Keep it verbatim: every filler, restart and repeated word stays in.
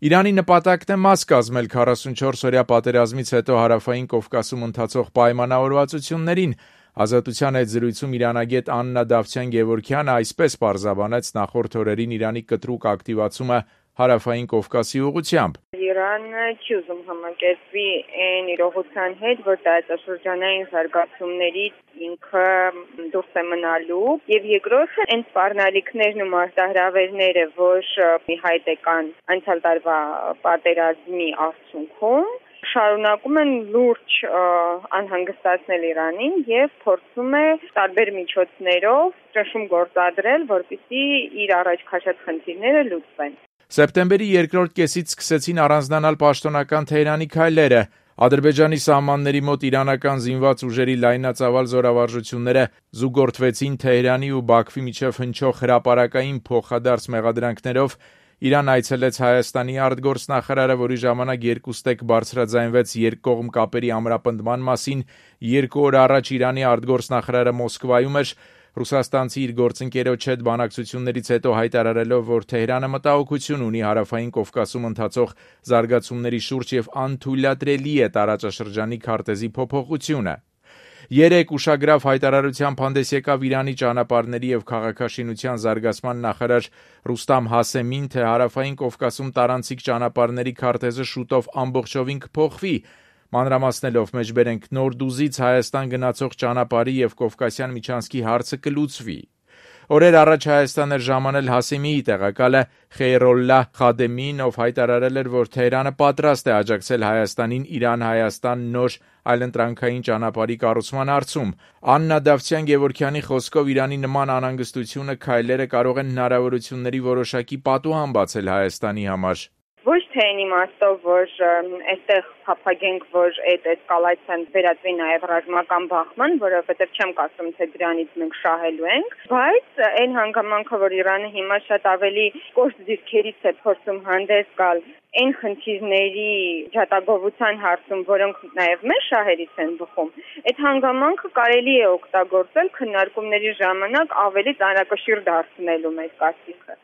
Իրանի նպատակն է մաս կազմել քառասունչորս օրյա պատերազմից հետո Հարավային Կովկասում ընթացող պայմանավորվածություններին։ Ազատության հետ զրույցում իրանագետ Աննա Դավթյան-Գևորգյանը այսպես պարզաբանեց նախորդ օրերին Իրանի կտրուկ ակտիվացումը Հարավային Կովկասի ուղղությամբ։ Իրանը չի ուզում համակերպվի այն իրողության հետ, որ տարածաշրջանային զարգացումներից ինքը դուրս է մնալու, եւ երկրորդը այն սպառնալիքներն ու մարտահրավերները, որ ի հայտ եկան անցյալ տարվա պատերազմի արդյունքում, շարունակում են լուրջ անհանգստացնել Իրանին եւ փորձում է տարբեր միջոցներով ճնշում գործադրել, որպեսզի իր առաջ քաշած խնդիրները լուծվեն։ Սեպտեմբերի երկրորդ կեսից սկսեցին առանձնանալ պաշտոնական Թեհրանի քայլերը։ Ադրբեջանի սահմանների մոտ իրանական զինված ուժերի լայնածավալ զորավարժությունները զուգորդվեցին Թեհրանի ու Բաքվի միջև հնչող հրապարակային փոխադարձ մեղադրանքներով։ Իրան այցելեց Հայաստանի արտգործնախարարը, որի ժամանակ երկուստեք բարձրաձայնվեց երկկողմ կապերի ամրապնդման մասին։ Երկու օր առաջ Իրանի արտգործնախարարը Մոսկվայում էր, ռուսաստանցի իր գործընկերոջ հետ բանակցություններից հետո հայտարարելով, որ Թեհրանը մտահոգություն ունի Հարավային Կովկասում ընթացող զարգացումների շուրջ եւ անթույլատրելի է տարածաշրջանի քարտեզի փոփոխությունը։ Երեկ ուշագրավ հայտարարությամբ հանդես եկավ Իրանի ճանապարհների եւ քաղաքաշինության զարգացման նախարար Ռուստամ Հասեմին, թե Հարավային Կովկասում տարանցիկ ճանապարհների քարտեզը շուտով ամբողջովին կփոխվի։ Մանրամասնելով մեջբերենք Նորդուզից Հայաստան գնացող ճանապարհի եւ Կովկասյան միջանցքի հարցը կլուծվի։ Օրեր առաջ Հայաստան էր ժամանել Հասեմիի տեղակալը Խեյրոլլահ Խադեմին, ով հայտարարել էր, որ Թեհրանը պատրաստ է աջակցել Հայաստանին Իրան-Հայաստան նոր այլընտրանքային ճանապարհի կառուցման հարցում։ Աննա Դավթյան-Գևորգյանի խոսքով Իրանի նման անհանգստությունը քայլերը կարող են հնարավորությունների որոշակի պատուհան բացել Հայաստանի համար։ Ոչ թե այն իմաստով, որ այստեղ փափագենք, որ այդ էսկալացիան վերածվի նաև ռազմական բախման, որովհետև չեմ կարծում, թե դրանից մենք շահելու ենք, բայց այն հանգամանքը, որ Իրանը հիմա շատ ավելի կոշտ դիրքերից է փորձում հանդես գալ այն խնդիրների ջատագովության հարցում, որոնք նաև մեր շահերից են բխում, այդ հանգամանքը կարելի է օգտագործել քննարկումների ժամանակ ավելի ծանրակշիռ դարձնելու մեր կարծիքը։